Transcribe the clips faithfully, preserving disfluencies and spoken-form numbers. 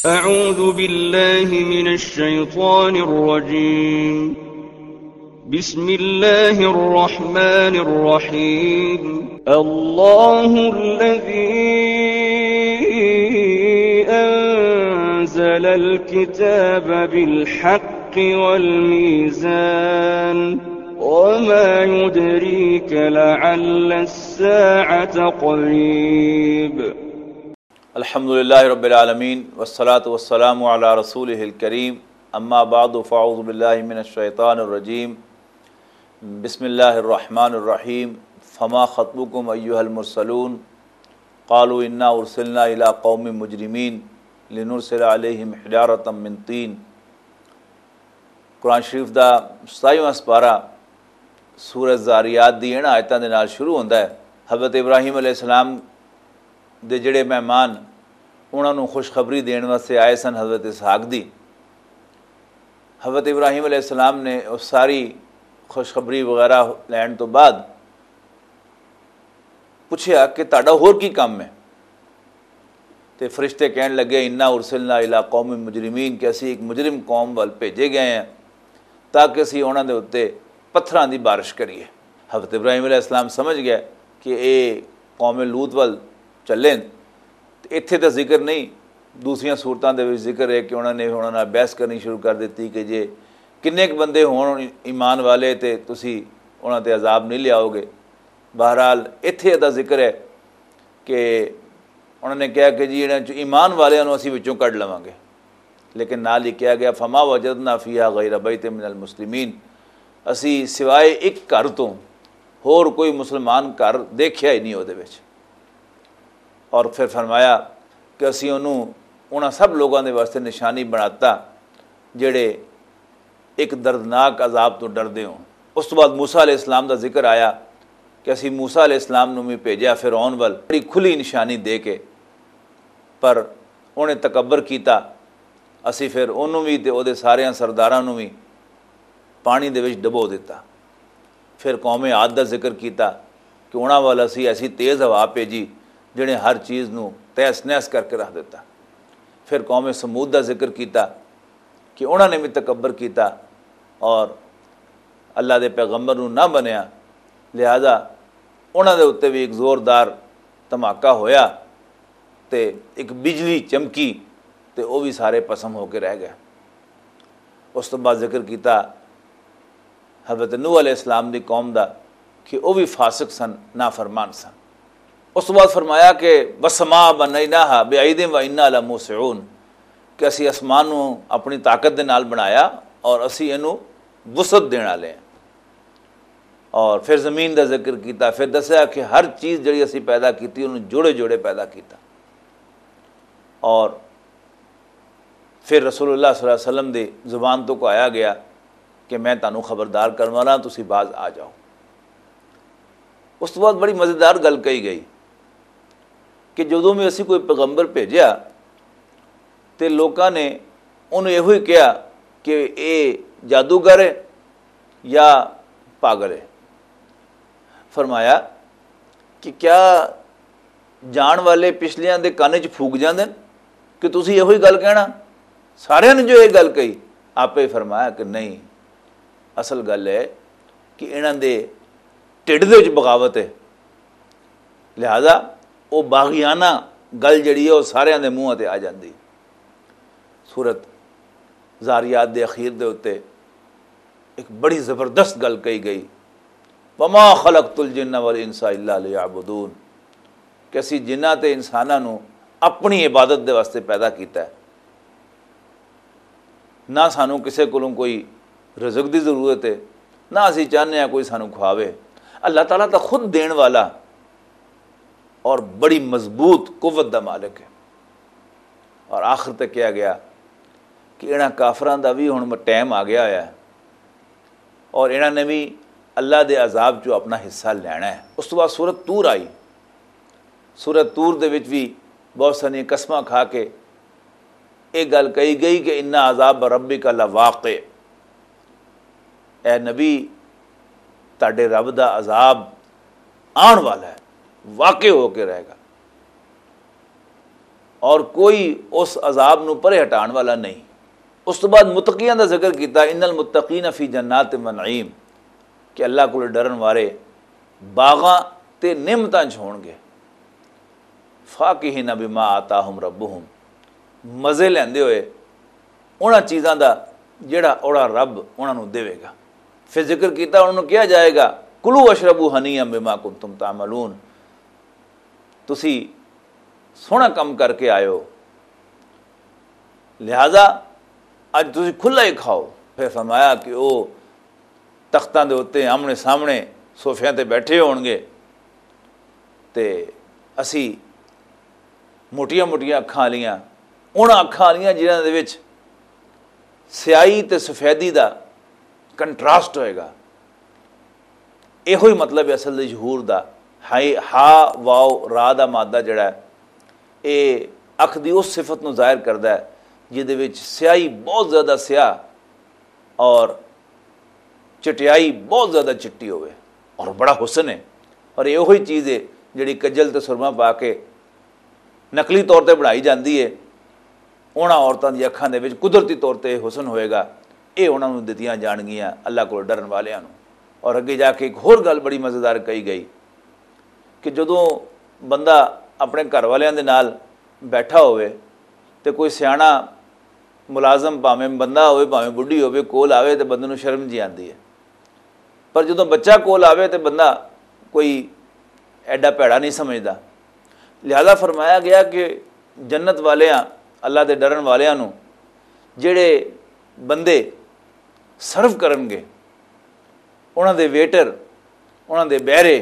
أعوذ بالله من الشيطان الرجيم. بسم الله الرحمن الرحيم. الله الذي أنزل الكتاب بالحق والميزان. وما يدريك لعل الساعة قريب. الحمد لله رب العالمين، والصلاة والسلام على رسوله الكريم. أما بعد، فأعوذ بالله من الشيطان الرجيم. بسم الله الرحمن الرحيم. فما خطبكم أيها المرسلون؟ قالوا إنا أرسلنا إلى قوم مجرمين لنرسل عليهم حجارة من طين. قرآن شریف دا ستائیواں سپارہ سورہ زاریات دی انہاں آیتاں دے نال شروع ہوندا ہے۔ حضرت ابراہیم علیہ السلام دے جڑے مہمان، انہاں نوں خوشخبری دین واسطے آئے سن حضرت اسحاق دی۔ حضرت ابراہیم علیہ السلام نے او ساری خوشخبری وغیرہ لین توں بعد پچھیا کہ تہاڈا ہور کی کم ہے؟ تے فرشتے کہن لگے، انا ارسلنا الی قوم مجرمین، کہ اسی ایک مجرم قوم ول بھیجے گئے ہیں تاکہ اسی انہاں دے اُتے پتھراں دی بارش کریے۔ حضرت ابراہیم علیہ السلام سمجھ گئے کہ اے قوم لوط ول چلے۔ تے اتھے تے ذکر نہیں، دوسریاں صورتاں دے وچ ذکر ہے کہ انہاں نے انہاں نال بحث کرنی شروع کر دتی کہ جے کنے ک بندے ہون ایمان والے تے تسی انہاں تے عذاب نہیں لیاؤ گے۔ بہرحال، اتھے دا ذکر ہے کہ انہاں نے کہا کہ جی انہاں چوں ایمان والیاں نوں اسی وچوں کڈ لواں گے۔ لیکن نال ہی کہا گیا، فما وجدنا فیہا غیر بیت من المسلمین، اسی سوائے ایک گھر تو ہور کوئی مسلمان گھر دیکھیا ہی نہیں اودے وچ۔ اور پھر فرمایا کہ اسی انہوں انہاں سب لوگاں دے واسطے نشانی بناتا جڑے ایک دردناک عذاب تو ڈردے ہوں۔ اس تو بعد موسیٰ علیہ السلام دا ذکر آیا کہ اسی موسیٰ علیہ السلام نوں بھی بھیجیا فرعون ول بڑی کھلی نشانی دے کے، پر انہیں تکبر کیتا۔ اسی پھر انہوں بھی تے او دے سارے سرداراں نوں بھی پانی دے وچ ڈبو دتا۔ پھر قوم عاد دا ذکر کیتا کہ انہاں ول اسی ایسی تیز ہوا بھیجی جنہیں ہر چیز نوں تہس نہس کر کے رکھ دتا۔ پھر قوم ثمود دا ذکر کیتا کہ انہاں نے بھی تکبر کیتا اور اللہ دے پیغمبر نوں نہ منیا، لہذا انہاں دے اُتے بھی ایک زوردار دھماکہ ہویا تے ایک بجلی چمکی تے او بھی سارے پسم ہو کے رہ گئے۔ اس تو بعد ذکر کیتا حضرت نوح علیہ السلام دی قوم دا کہ او بھی فاسق سن، نافرمان سن۔ اس تو بعد فرمایا کہ وسما بنیناہا بعیدن و انا لموسعون، کہ اسی آسمان نوں اپنی طاقت دے نال بنایا اور اسی اینوں وسعت دین والے ہیں۔ اور پھر زمین دا ذکر کیتا، پھر دسیا کہ ہر چیز جڑی اسی پیدا کیتی انہوں جوڑے جوڑے پیدا کیتا۔ اور پھر رسول اللہ صلی اللہ علیہ وسلم دی زبان تو کو آیا گیا کہ میں تانوں خبردار کرن والا ہاں، تسی باز آ جاؤ۔ اس تو بعد بڑی مزیدار گل کہی گئی کہ جدوں بھی اسی کوئی پیغمبر بھیجیا تے لوکاں نے انہوں ایہو ہی کہا کہ اے جادوگر ہے یا پاگل ہے۔ فرمایا کہ کیا جان والے پچھلیاں دے کن چ پھوک جاندے نے کہ تسی ایہو ہی گل کہنا؟ ساریاں نے جو یہ گل کہی، آپے فرمایا کہ نہیں، اصل گل ہے کہ انہاں دے ٹڈ دے وچ بغاوت ہے، لہذا وہ باغیانہ گل جڑی ہے وہ ساریاں دے منہ تے آ جاندی۔ سورت زاریات دے اخیر دے اُتے ایک بڑی زبردست گل کہی گئی، وما خلقت الجن والانس الا لیعبدون، کہ اسی جناں تے انساناں نوں اپنی عبادت دے واسطے پیدا کیتا ہے۔ نہ سانوں کسے کولوں کوئی رزق دی ضرورت ہے، نہ اسی چاہنے ہیں کوئی سانوں کھواوے۔ اللہ تعالیٰ تاں خود دین والا اور بڑی مضبوط قوت دا مالک ہے۔ اور آخر تے کہا گیا کہ انہاں کافراں دا بھی ہن ٹائم آ گیا ہویا ہے اور انہاں نے بھی اللہ دے عذاب چوں اپنا حصہ لینا ہے۔ اس تو بعد سورت طور آئی۔ سورت طور دے وچ بھی بہت ساری قسماں کھا کے یہ گل کہی گئی کہ ان عذاب ربک لواقع، اے نبی، تہاڈے رب دا عذاب آن والا ہے، واقع ہو کے رہے گا۔ اور کوئی اس عذاب نو پرے ہٹان والا نہیں۔ اس تو بعد متقیاں دا ذکر کیتا، ان المتقین فی جنات و نعیم، کہ اللہ کو ڈرن والے باغاں تے نعمتاں چ ہون گے۔ فاکہین بما آتاہم ربہم، مزے لیندے ہوئے انہاں چیزاں دا جڑا اوڑا رب انہاں نوں دیوے گا۔ پھر ذکر کیتا، انہاں نوں کہا جائے گا، کلوا واشربوا ہنیئا بما کنتم تعملون، تسی سوہنا کم کر کے آئے ہو، لہذا اج تسی کھلا ہی کھاؤ۔ پھر فرمایا کہ او تختاں دے اُتے آمنے سامنے صوفیاں تے بیٹھے ہون گے، تے اسی موٹیاں موٹیاں اکھاں والیاں، انہاں اکھاں والیاں جنہاں دے وچ سیاہی تے سفیدی دا کنٹراسٹ ہوئے گا۔ ایہو ہی مطلب ہے اصل دے ظہور دا۔ ہائی، ہا، واو، را دا مادہ جڑا ہے، اے اکھ دی اس صفت نوں ظاہر کردا ہے جس دے وچ سیاہی بہت زیادہ سیاہ اور چٹیائی بہت زیادہ چٹی ہوئے اور بڑا حسن ہے۔ اور یہ وہی چیز ہے جڑی کجل تے سرما پا کے نقلی طور تے بنائی جاندی ہے۔ انہاں عورتاں دی اکھاں دے وچ قدرتی طور تے حسن ہوئے گا، یہ انہاں نوں دتیاں جان گیاں، اللہ کول ڈرن والیاں نوں۔ اور اگے جا کے ایک ہور گل بڑی مزیدار کہی گئی کہ جدوں بندہ اپنے گھر والیاں دے نال بیٹھا ہوئے تے کوئی سیاݨا ملازم، بھاویں بندہ ہوئے بھاویں بڈھی ہوئے، کول آوے تے بندے نوں شرم جی آندی ہے۔ پر جدوں بچہ کول آوے تے بندہ کوئی ایڈا پیڑا نہیں سمجھدا۔ لہذا فرمایا گیا کہ جنت والیاں، اللہ دے ڈرن والیاں نوں جڑے بندے سرو کرن گے، انہاں دے ویٹر، انہاں دے بہرے،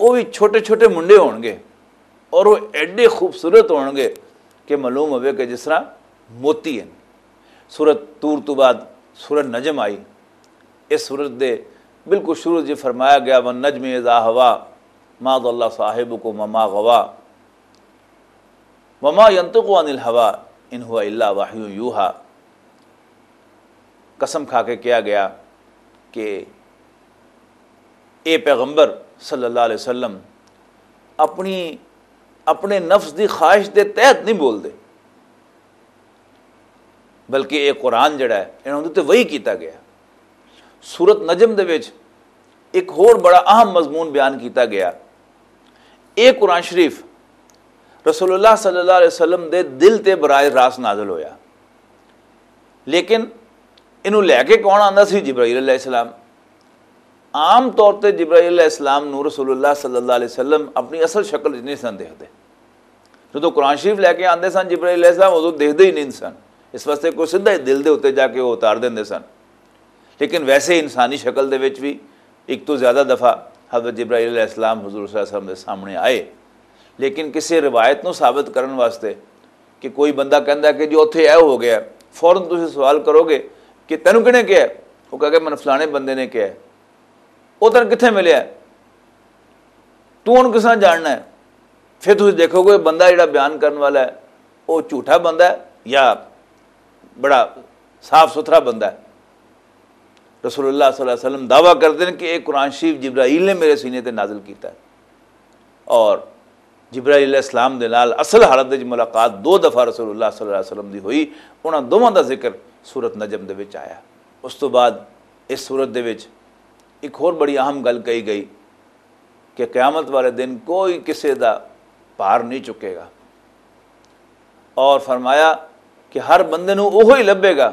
وہ بھی چھوٹے چھوٹے منڈے ہون گے اور وہ ایڈے خوبصورت ہون گے کہ معلوم ہوئے کہ جس طرح موتی ہیں۔ سورت طور تو بعد سورت نجم آئی۔ اس سورت دے بالکل شروع جی فرمایا گیا، والنجم اذا ہوا، ما ضل صاحبکم وما غوا، وما ينطق عن الهوى، ان هو الا وحی یوحی۔ قسم کھا کے کہا گیا کہ اے پیغمبر صلی اللہ علیہ وسلم اپنی، اپنے نفس دی خواہش دے تحت نہیں بولدے، بلکہ اے قرآن جڑا ہے، انہاں دے تے وحی کیتا گیا۔ سورت نجم دے وچ ایک ہور بڑا اہم مضمون بیان کیتا گیا۔ اے قرآن شریف رسول اللہ صلی اللہ علیہ وسلم دے دل تے براہ راست نازل ہویا، لیکن انہوں لے کے کون آندا سی؟ جبرائیل علیہ السلام۔ عام طور تے جبرائیل علیہ السلام نوں رسول اللہ صلی اللہ علیہ وسلم اپنی اصل شکل وچ نہیں سن دیکھدے۔ جدوں قرآن شریف لے کے آندے سن جبرائیل علیہ السلام، ادوں دیکھدے ہی نہیں سن، اس واسطے کوئی سدھا ہی دل دے اتتے جا کے وہ اتار دیندے سن۔ لیکن ویسے انسانی شکل دے وچ بھی ایک تو زیادہ دفعہ حضرت جبرائیل علیہ السلام حضور صلی اللہ علیہ وسلم دے سامنے آئے، لیکن کسی روایت نوں ثابت کرن واسطے کہ کوئی بندہ کہندا ہے کہ جو اتھے اے ہو گیا، فوراً تسی سوال کرو گے کہ تینوں کنے کہیا ہے؟ وہ کہے کہ من فلانے بندے نے کہیا ہے۔ وہ تینوں کتھے ملیا ہے؟ تو ہن کس طرح جاننا ہے؟ پھر تسی دیکھو گے بندہ جڑا بیان کرن والا ہے، وہ جھوٹا بندہ ہے یا بڑا صاف ستھرا بندہ ہے۔ رسول اللہ صلی اللہ علیہ وسلم دعویٰ کرتے ہیں کہ ایک قرآن شریف جبرائیل نے میرے سینے تے نازل کیتا ہے۔ اور جبرائیل علیہ السلام دے نال اصل حالت وچ ملاقات دو دفعہ رسول اللہ صلی اللہ علیہ وسلم دی ہوئی۔ انہاں دوواں دا ذکر سورت نجم دے وچ آیا۔ اس تو بعد اس سورت دے وچ ایک ہور بڑی اہم گل کہی گئی کہ قیامت والے دن کوئی کسے دا بھار نہیں چکے گا۔ اور فرمایا کہ ہر بندے نوں اوہو ہی لبھے گا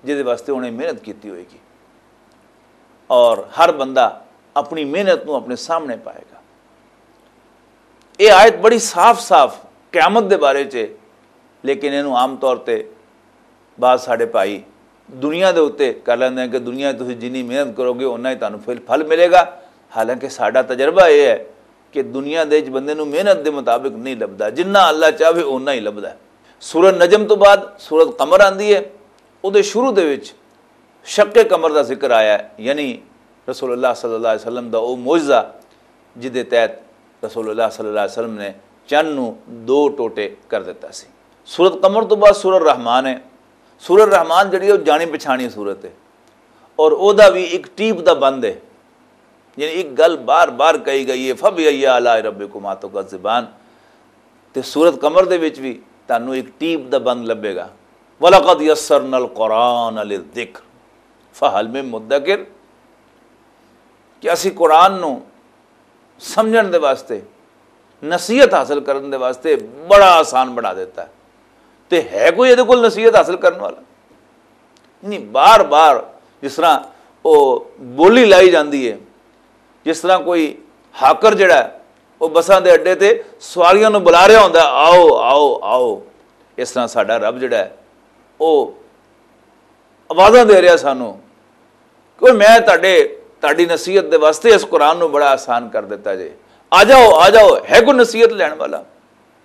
جس دے واسطے انہیں محنت کیتی ہوئے گی، اور ہر بندہ اپنی محنت نوں اپنے سامنے پائے گا۔ یہ آیت بڑی صاف صاف قیامت دے بارے چ ہے، لیکن اینوں عام طور تے بعض ساڈے بھائی دنیا دے اُتے کر لیندے ہیں کہ دنیا 'چ تسی جنی محنت کرو گے، اُنا ہی تہانوں پھل، پھل ملے گا۔ حالانکہ ساڈا تجربہ یہ ہے کہ دنیا دے وچ بندے نوں محنت دے مطابق نہیں لبھدا، جنہ اللہ چاہے اُنا ہی لبھدا ہے۔ سورہ نجم تو بعد سورہ قمر آندی ہے، اودے شروع دے وچ شق قمر دا ذکر آیا ہے، یعنی رسول اللہ صلی اللہ علیہ وسلم دا او معجزہ جس دے تحت رسول اللہ صلی اللہ علیہ وسلم نے چن نوں دو ٹوٹے کر دیتا سی۔ سورت قمر تو بعد سورہ رحمان ہے۔ سورہ رحمان جڑی ہے، وہ جانی پچھانی صورت ہے، اور او دا بھی ایک ٹیپ دا بند ہے، یعنی ایک گل بار بار کہی گئی ہے، فبأي آلاء ربكما تكذبان۔ تے سورت قمر دے وچ بھی تانوں ایک ٹیپ دا بند لبھے گا، "ولقد یسرنا القرآن للذکر فہل من مدکر"، کہ اسی قرآن نو سمجھن دے واسطے، نصیحت حاصل کرن دے واسطے بڑا آسان بنا دیتا ہے۔ تے ہے کوئی ایہدے کول نصیحت حاصل کرن والا؟ نہیں، بار بار جس طرح او بولی لائی جاندی ہے، جس طرح کوئی ہاکر جڑا ہے، وہ بساں دے اڈے تے سواریاں نوں بلا رہا ہوندا ہے، "آؤ، آؤ، آؤ۔" اس طرح ساڈا رب جڑا ہے، وہ آوازاں دے رہا سانوں کہ میں تہاڈے، تہاڈی نصیحت دے واسطے اس قرآن نوں بڑا آسان کر دیتا جے۔ آ جاؤ، آ جاؤ، ہے کوئی نصیحت لین والا؟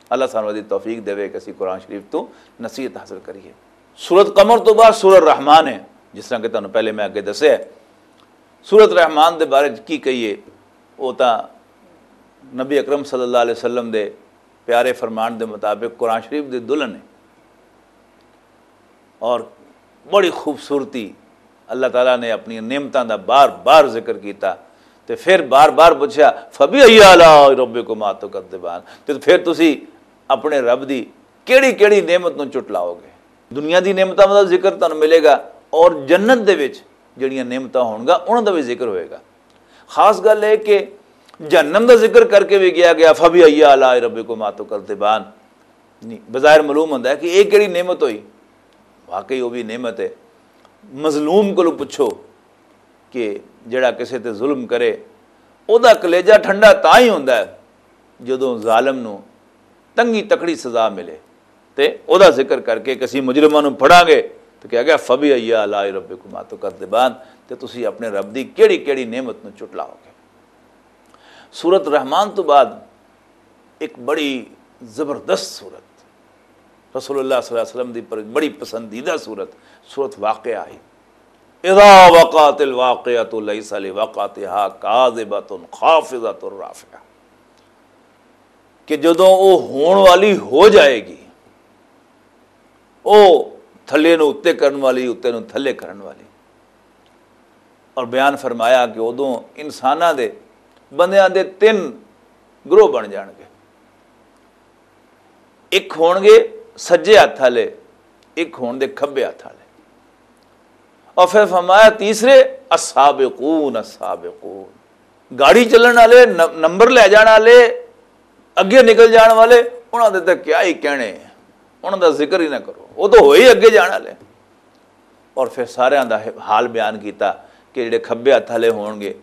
اللہ سانوں دی توفیق دے کہ اسی قرآن شریف تو نصیحت حاصل کریے۔ سورت قمر تو بعد سورہ رحمان ہے، جس طرح کہ تانوں پہلے میں اگے دسیا ہے۔ سورت رحمان دے بارے چ کی کہیے، وہ تاں نبی اکرم صلی اللہ علیہ وسلم دے پیارے فرمان دے مطابق قرآن شریف دے دلہن ہے، اور بڑی خوبصورتی، اللہ تعالیٰ نے اپنی نعمتاں دا بار بار ذکر کیتا، تے پھر بار بار پوچھا، "فبأي آلاء ربكما تكذبان"، تے پھر تسی اپنے رب دی کیڑی کیڑی نعمت نوں چٹلاؤ گے؟ دنیا دی نعمتاں دا ذکر تانوں ملے گا، اور جنت دے وچ جڑیاں نعمتاں ہون گا، انہاں دا بھی ذکر ہوئے گا۔ خاص گل ہے کہ جہنم دا ذکر کر کے بھی گیا گیا، "فبأي آلاء ربكما تكذبان"۔ نہیں، بظاہر معلوم ہوندا ہے کہ یہ کیڑی نعمت ہوئی؟ واقعی وہ بھی نعمت ہے۔ مظلوم کولوں پچھو کہ جڑا کسے تے ظلم کرے، او دا کلیجہ ٹھنڈا تاں ہی ہوندا ہے جدوں ظالم نوں تنگی تکڑی سزا ملے۔ تے او دا ذکر کر کے کسی مجرماں نوں پھڑاں گے، تو کہا گیا، "فبأي آلاء ربكما تكذبان"، تے تسی اپنے رب دی کیڑی کیڑی نعمت نوں چٹلاؤ گے؟ سورت رحمان تو بعد ایک بڑی زبردست سورت، رسول اللہ صلی اللہ علیہ وسلم دی پر-، بڑی پسندیدہ سورت، سورت واقعہ آئی۔ "اذا وقعت الواقعة ليس لوقعتها كاذبة خافضة رافعة"، کہ جدوں وہ ہون والی ہو جائے گی، وہ تھلے نو اُتے کرن والی، اُتے نو تھلے کرن والی۔ اور بیان فرمایا کہ ادوں انساناں دے، بندیاں دے تین گروہ بن جان گے۔ ایک ہون گے سجے ہاتھ والے، ایک ہون دے کھبے ہاتھ والے۔ اور پھر فرمایا تیسرے، "السابقون السابقون"، گاڑی چلن والے، ن-، نمبر لے جان والے، اگے نکل جان والے، انہاں دے تے کیا ہی کہنے ہیں، انہاں دا ذکر ہی نہ کرو، وہ تو ہوئے ہی اگے جان والے۔ اور پھر ساریاں دا حال بیان کیتا کہ جڑے کھبے ہاتھ والے ہون گے،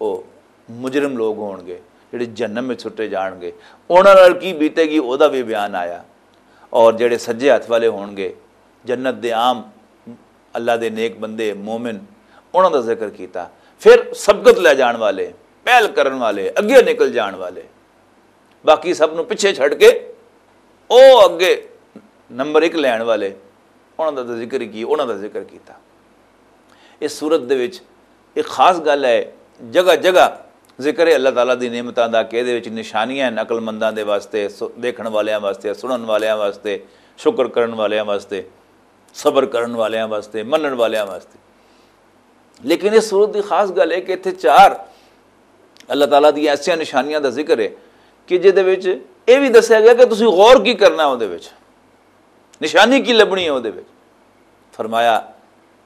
وہ مجرم لوگ ہون گے، جڑے جہنم میں چھٹے جان گے، انہاں نال کی بیتے گی، او دا بھی بیان آیا۔ اور جڑے سجے ہاتھ والے ہون گے، جنت دے عام اللہ دے نیک بندے، مومن، انہاں دا ذکر کیتا۔ پھر سبقت لے جان والے، پہل کرن والے، اگے نکل جان والے، باقی سب نوں پچھے چھڈ کے او اگے نمبر ایک لین والے، انہاں دا ذکر کی، انہاں دا ذکر کیتا۔ اس سورت دے وچ ایک خاص گل ہے، جگہ جگہ ذکر ہے اللہ تعالیٰ دی نعمتاں دا، کہ دے وچ نشانیاں ہیں عقل منداں دے واسطے، سو-، دیکھن والیاں واسطے، سنن والیاں واسطے، شکر کرن والیاں واسطے، صبر کرن والیاں واسطے، منن والیاں واسطے۔ لیکن اس سورت دی خاص گل ہے کہ اتھے چار اللہ تعالیٰ دی ایسیاں نشانیاں دا ذکر ہے کہ جے دے وچ اے وی دسیا گیا کہ تسی غور کی کرنا ہے، او دے وچ نشانی کی لبنی ہے، او دے وچ فرمایا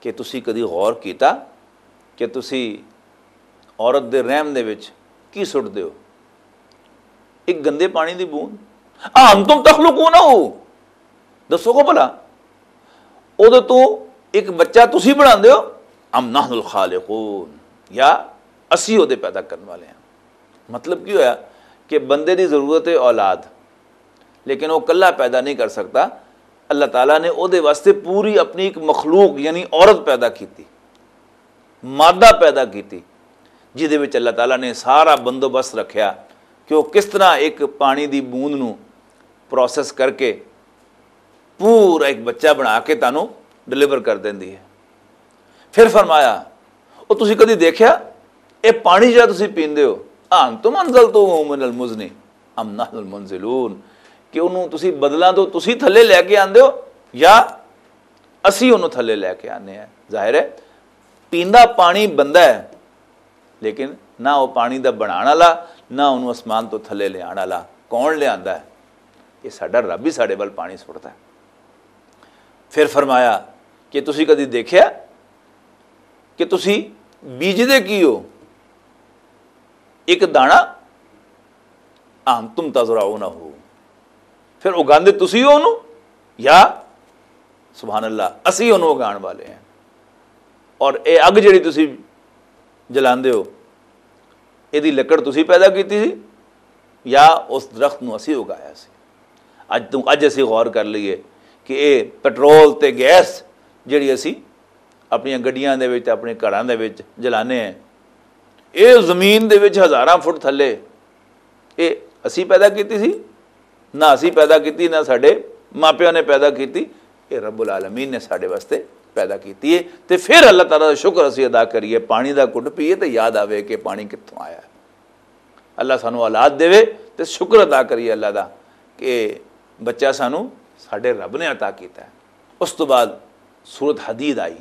کہ تسی کدی غور کیتا کہ تسی عورت دے رحم دے وچ کی سٹ دیو؟ ایک گندے پانی دی بوند۔ "اَأَنتُمْ تَخْلُقُونَهُ"، دسو کو بھلا، اودے تو ایک بچہ تسی بنا دیو؟ "أَمْ نَحْنُ الْخَالِقُونَ"، یا اسی اودے پیدا کرن والے ہیں؟ مطلب کی ہویا کہ بندے دی ضرورت ہے اولاد، لیکن وہ کلا پیدا نہیں کر سکتا۔ اللہ تعالیٰ نے اودے واسطے پوری اپنی ایک مخلوق یعنی عورت پیدا کیتی، مادہ پیدا کیتی، جس دے وچ اللہ تعالیٰ نے سارا بندوبست رکھیا کہ وہ کس طرح ایک پانی دی بوند نو پروسیس کر کے پورا ایک بچہ بنا کے تانوں ڈیلیور کر دیندی ہے۔ پھر فرمایا، "او تسی کدی دیکھیا، اے پانی جا تسی پیندے ہو، أَأَنْتُمْ أَنْزَلْتُمُوهُ مِنَ الْمُزْنِ أَمْ نَحْنُ الْمُنْزِلُونَ"، کہ انہوں تسی بدلاں تو تسی تھلے لے کے آندے ہو یا اسی انہوں تھلے لے کے آنے ہیں؟ ظاہر ہے، پیندا پانی بندہ ہے، لیکن نہ وہ پانی دا بنان والا، نہ انہوں آسمان تو تھلے لے آن والا۔ کون لے آندا ہے؟ یہ ساڈا رب ہی ساڈے ول پانی سٹدا ہے۔ پھر فرمایا کہ تسی کدی دیکھیا کہ تسی بیجدے کی ہو؟ ایک دانا، ام تم تزرعونہ، پھر اگاندے تسی ہو اونوں، یا سبحان اللہ، اسی اونوں اگان والے ہیں۔ اور اے اگ جڑی تسی جلاندے ہو، ایدی لکڑ تسی پیدا کیتی سی یا اس درخت نوں اسی اگایا سی؟ اج تو اج اسی غور کر لئیے کہ اے پٹرول تے گیس جڑی اسی اپنیاں گڈیاں دے وچ تے اپنے گھراں دے وچ جلانے ہیں، اے زمین دے وچ ہزاراں فٹ تھلے، اے اسی پیدا کیتی سی؟ نہ اسی پیدا کیتی، نہ ساڈے ماپیاں نے پیدا کیتی۔ اے رب العالمین نے ساڈے واسطے پیدا کیتی ہے۔ تے پھر اللہ تعالیٰ دا شکر اسی ادا کریے، پانی دا گھٹ پیے تے یاد آوے کہ پانی کتھوں آیا ہے۔ اللہ سانو اولاد دے، تے شکر ادا کریے اللہ دا کہ بچہ سانو ساڈے رب نے عطا کیتا ہے۔ اس تو بعد سورت حدید آئی۔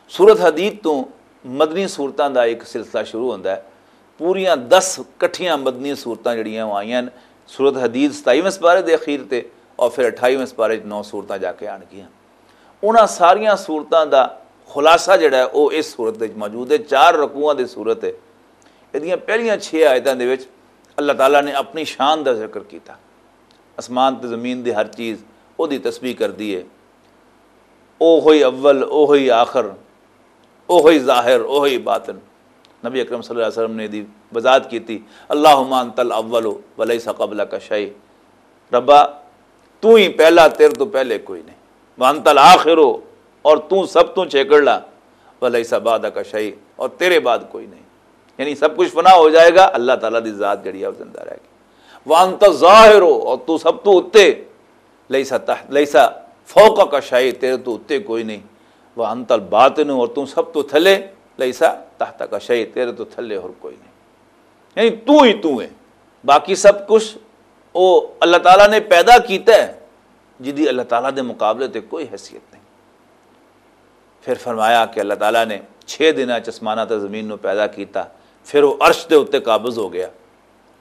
سورت حدید تو مدنی سورتاں دا ایک سلسلہ شروع ہوندا ہے۔ پوریاں دس کٹھیاں مدنی سورتاں جڑیاں او آئیاں نے۔ سورت حدید ستائیویں سپارے دے اخیر تے، اور پھر اٹھائیویں سپارے وچ نو سورتاں جا کے آن گیاں۔ انہاں ساریاں سورتاں دا خلاصہ جڑا ہے، او اس سورت وچ موجود ہے۔ چار رکوعاں دی سورت ہے۔ ایدیاں پہلیاں چھ آیتاں دے وچ اللہ تعالیٰ نے اپنی شان دا ذکر کیتا۔ اسمان تے زمین دی ہر چیز او دی تسبیح کردی ہے۔ او ہوئی اول، او ہوئی آخر، او ہوئی ظاہر، او ہوئی باطن۔ نبی اکرم صلی اللہ علیہ وسلم نے دی وضاحت کیتی، اللہم انت الاول ولیس قبلک شیء۔ ربا، تو ہی پہلا، تیرے تو پہلے کوئی نہیں۔ وانت الآخر، اور تو سب تو چھیکڑلا، ولیس بعدک شیء، اور تیرے بعد کوئی نہیں۔ یعنی سب کچھ فنا ہو جائے گا، اللہ تعالیٰ دی ذات جڑی ہے وہ زندہ رہے گی۔ وانت الظاہر، اور تو سب تو اتے، لیسا تحت، لیسا فوقک شیء، تیرے تو اتے کوئی نہیں۔ وانت الباطن، اور تو سب تو تھلے، لیسا تحتک شیء، تیرے تو تھلے اور کوئی نہیں۔ یعنی تو ہی تو ہے، باقی سب کچھ او اللہ تعالیٰ نے پیدا کیتا ہے، جدی اللہ تعالیٰ دے مقابلے تے کوئی حیثیت نہیں۔ پھر فرمایا کہ اللہ تعالیٰ نے چھ دناں چ اسماناں تے زمین نو پیدا کیتا، پھر وہ عرش دے اُتے قابض ہو گیا،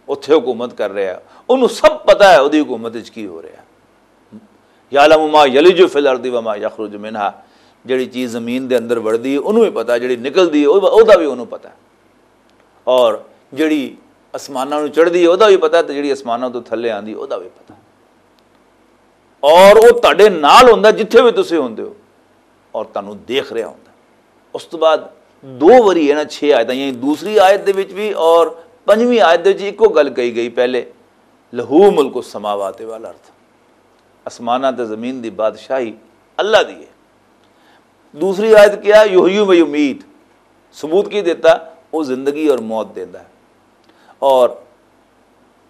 اُتھے حکومت کر رہا ہے۔ انہوں سب پتہ ہے اودی حکومت وچ کی ہو رہا ہے۔ یعلم ما یلج فی الارض وما یخرج منہا، جڑی چیز زمین دے اندر وڑدی ہے انہوں بھی پتہ، جڑی نکلدی ہے او-، اودا بھی انہوں پتہ ہے۔ اور جڑی اسماناں نوں چڑھدی ہے اودا بھی پتہ ہے، تے جڑی اسماناں تو تھلے آندی اودا بھی پتہ ہے۔ اور وہ تہاڈے نال ہوندا جتھے بھی تسی ہوندے ہو، اور تہانوں دیکھ رہا ہوندا۔ اس تو بعد دو واری ہے نا، چھ آیتاں، یعنی دوسری آیت دے وچ بھی اور پنجویں آیت دے وچ اکو گل کہی گئی۔ پہلے، لہو ملک السماوات والارض، آسماناں تے زمین دی بادشاہی اللہ دی ہے۔ دوسری آیت کیا؟ یحیی و یمیت، ثبوت کی دیتا؟ وہ زندگی اور موت دیندا ہے۔ اور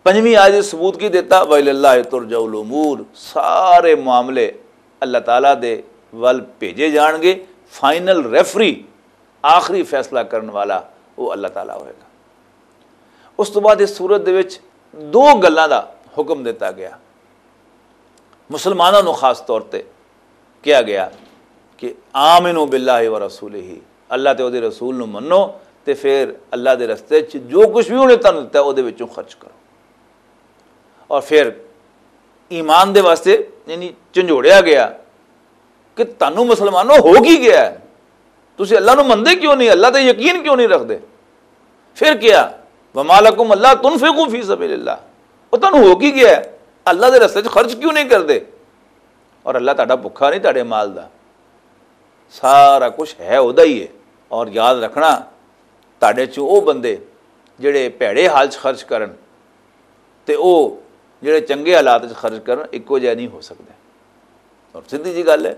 پنجویں آیت ثبوت کی دیتا؟ وَإِلَى اللَّهِ تُرْجَعُ الْأُمُورُ، سارے معاملے اللہ تعالیٰ دے ول بھیجے جان گے۔ فائنل ریفری، آخری فیصلہ کرن والا، وہ اللہ تعالیٰ ہوئے گا۔ اس تو بعد اس سورت دے وچ دو گلاں دا حکم دتا گیا۔ مسلماناں نوں خاص طور تے کہا گیا کہ آمنوا باللہ و رسولہ، اللہ تے اودے رسول نوں منو، تے پھر اللہ دے رستے چ جو کچھ بھی انہیں تانوں دتا اودے وچوں خرچ کرو۔ اور پھر ایمان دے واسطے یعنی جھنجھوڑیا گیا کہ تانوں مسلمانوں ہو کی گیا ہے؟ تسی اللہ نوں مندے کیوں نہیں؟ اللہ تے یقین کیوں نہیں رکھدے؟ پھر کیا؟ وما لکم اللہ تنفقوا فی سبیل اللہ، وہ تانوں ہو کی گیا ہے؟ اللہ دے رستے چ خرچ کیوں نہیں کردے؟ اور اللہ تہاڈا بھکھا نہیں تہاڈے مال دا، سارا کچھ ہے اودا ہی ہے۔ اور یاد رکھنا، تہاڈے چوں او بندے جڑے بھیڑے حال چ خرچ کرن تے او جڑے چنگے حالات چ خرچ کرن، اکو جہا نہیں ہو سکدے۔ اور سیدھی جی گل ہے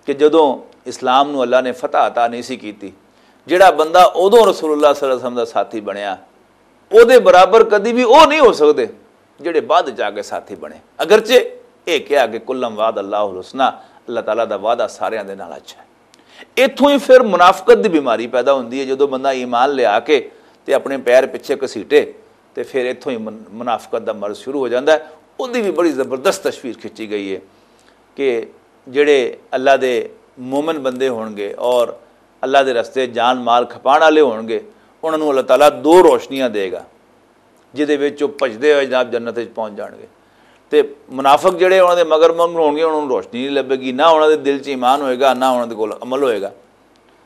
کہ جدوں اسلام نو اللہ نے فتح عطا نہیں سی کیتی، جڑا بندہ اودوں رسول اللہ صلی اللہ علیہ وسلم دا ساتھی بنیا، او دے برابر کدی بھی او نہیں ہو سکدے جڑے بعد چ آ کے ساتھی بنے۔ اگرچہ اے کہا کہ کلم وعد اللہ الحسنی، اللہ تعالیٰ دا وعدہ ساریاں دے نال اچھا ہے۔ اتھوں ہی پھر منافقت دی بیماری پیدا ہوندی ہے۔ جدوں بندہ ایمان لیا کے تے اپنے پیر پچھے گھسیٹے، تے پھر اتھوں ہی من-، منافقت دا مرض شروع ہو جاندا ہے۔ اودی بھی بڑی زبردست تشویر کھچی گئی ہے کہ جڑے اللہ دے مومن بندے ہون گے اور اللہ دے رستے جان مال کھپان والے ہون گے، انہاں نوں اللہ تعالیٰ دو روشنیاں دے گا، جدے وچ او بھجدے ہوئے جناب جنت وچ پہنچ جان گے۔ تے منافق جڑے انہاں دے مگر مگر ہون گے، انہاں نوں روشنی نہیں لبے گی، نہ انہاں دے دل چ ایمان ہوئے گا، نہ انہاں دے کول عمل ہوئے گا۔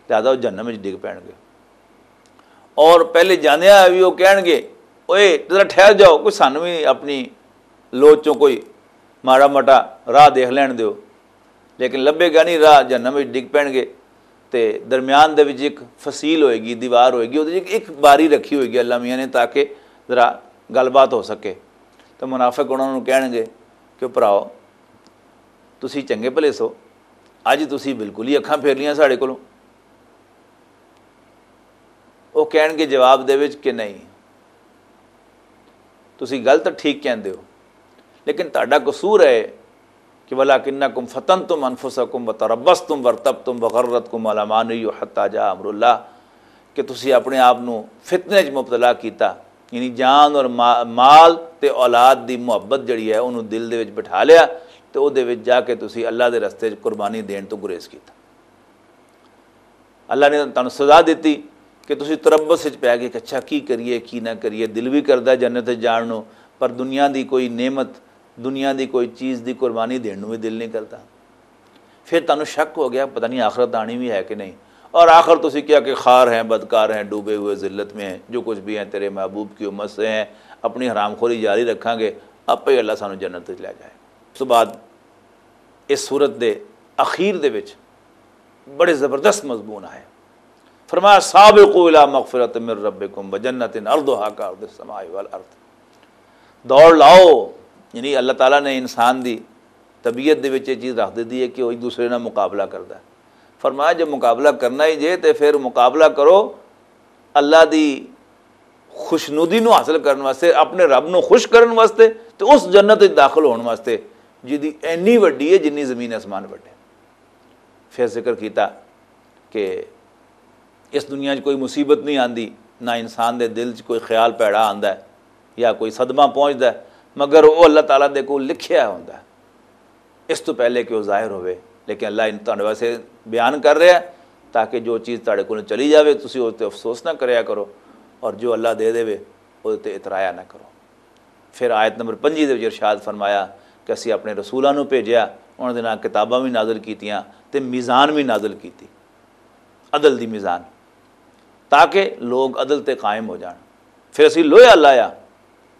لہذا وہ جہنم وچ ڈگ پین گے۔ اور پہلے جاندیاں بھی وہ کہن گے، اوئے ذرا ٹھہر جاؤ، کوئی سانوں بھی اپنی لوچ چوں کوئی ماڑا مٹا راہ دیکھ لین دیو۔ لیکن لبے گا نہیں راہ، جہنم وچ ڈگ پین گے۔ تے درمیان دے وچ ایک فصیل ہوئے گی، دیوار ہوئے گی، اودے وچ ایک باری رکھی ہوئے گی اللہ میاں نے، تاکہ ذرا گل بات ہو سکے۔ تے منافق انہاں نوں کہن گے کہ بھراؤ، تسی چنگے بھلے سو، اج تسی بالکل ہی اکھاں پھیر لیاں ساڈے کولوں۔ وہ کہن گے جواب دے وچ کہ نہیں، تسی گل تاں ٹھیک کہندے ہو، لیکن تہاڈا قصور ہے کہ وَلَٰكِنَّكُمْ فَتَنْتُمْ أَنْفُسَكُمْ وَتَرَبَّصْتُمْ وَارْتَبْتُمْ وَغَرَّتْكُمُ الْأَمَانِيُّ حَتَّىٰ جَاءَ أَمْرُ اللَّهِ، کہ تسی اپنے آپ نوں فتنے وچ مبتلا کیتا، یعنی جان اور ما-، مال تے اولاد دی محبت جڑی ہے، انہوں دل دے وچ بٹھا لیا، تے او دے وچ جا کے تسی اللہ دے رستے وچ قربانی دین تو گریز کیتا۔ اللہ نے تانوں سزا دتی کہ تسی تربص وچ پے گئے کہ اچھا، کی کریے، کی نہ کریے۔ دل بھی کردا جنت وچ جان نوں، پر دنیا دی کوئی نعمت، دنیا دی کوئی چیز دی قربانی دین نوں بھی دل نہیں کردا۔ پھر تانوں شک ہو گیا، پتہ نہیں آخرت آنی بھی ہے کہ نہیں۔ اور آخر تسی کیا کہ خوار ہیں، بدکار ہیں، ڈوبے ہوئے ذلت میں ہیں، جو کچھ بھی ہیں تیرے محبوب کی امت سے ہیں، اپنی حرام خوری جاری رکھاں گے، آپے ہی اللہ سانوں جنت وچ لے جائے۔ اس تو بعد اس سورت دے اخیر دے وچ بڑے زبردست مضمون آئے۔ فرمایا، "سابقوا الی مغفرۃ من ربکم وجنۃ عرضها کعرض السماء والارض۔" دوڑ لاؤ، یعنی اللہ تعالیٰ نے انسان دی طبیعت دے وچ یہ چیز رکھ دتی ہے کہ وہ ایک دوسرے نال مقابلہ کردا ہے۔ فرمایا، جب مقابلہ کرنا ہی جے تے پھر مقابلہ کرو اللہ دی خوشنودی نو حاصل کرن واسطے، اپنے رب نو خوش کرن واسطے، تے اس جنت وچ داخل ہون واسطے جدی اینی وڈی ہے جنی زمین آسمان وڈے۔ پھر ذکر کیتا کہ اس دنیا 'چ کوئی مصیبت نہیں آندی، نہ انسان دے دل 'چ کوئی خیال پیڑا آندا ہے یا کوئی صدمہ پہنچدا ہے، مگر وہ اللہ تعالیٰ دے کول لکھیا ہوندا ہے اس تو پہلے کہ وہ ظاہر ہوئے۔ لیکن اللہ ان تہاڈے واسطے بیان کر رہا ہے تاکہ جو چیز تہاڈے کول چلی جاوے، تسی اس تے افسوس نہ کریا کرو، اور جو اللہ دے دے وے، اس تے اترایا نہ کرو۔ پھر آیت نمبر پنجی دے وچ ارشاد فرمایا کہ اسی اپنے رسولاں نوں بھیجیا، انہاں دے نال کتاباں بھی نازل کیتیاں تے میزان بھی نازل کیتی، عدل دی میزان، تاکہ لوگ عدل تے قائم ہو جان۔ پھر اسی لوہا لایا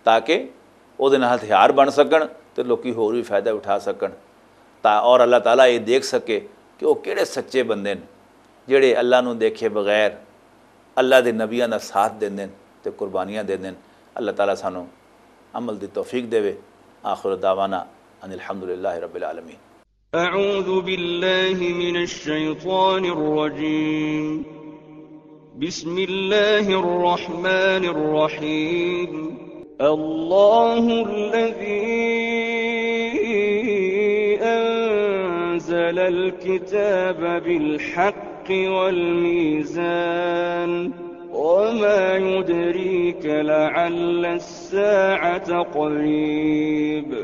تاکہ او دے نال ہتھیار بن سکن تے لوکی ہور بھی فائدہ اٹھا سکن، تا اور اللہ تعالیٰ یہ دیکھ سکے کہ وہ کہڑے سچے بندے نے، جڑے اللہ نوں دیکھے بغیر اللہ دے نبیاں دا ساتھ دیندے نے تے قربانیاں دیندے نے۔ اللہ تعالیٰ سانوں عمل دی توفیق دے۔ آخر دعوانا ان الحمدللہ رب العالمین۔ أعوذ بالله من الشيطان الرجيم. بسم الله الرحمن الرحيم. الله الذي أنزل الكتاب بالحق والميزان. وما يدريك لعل الساعة قريب.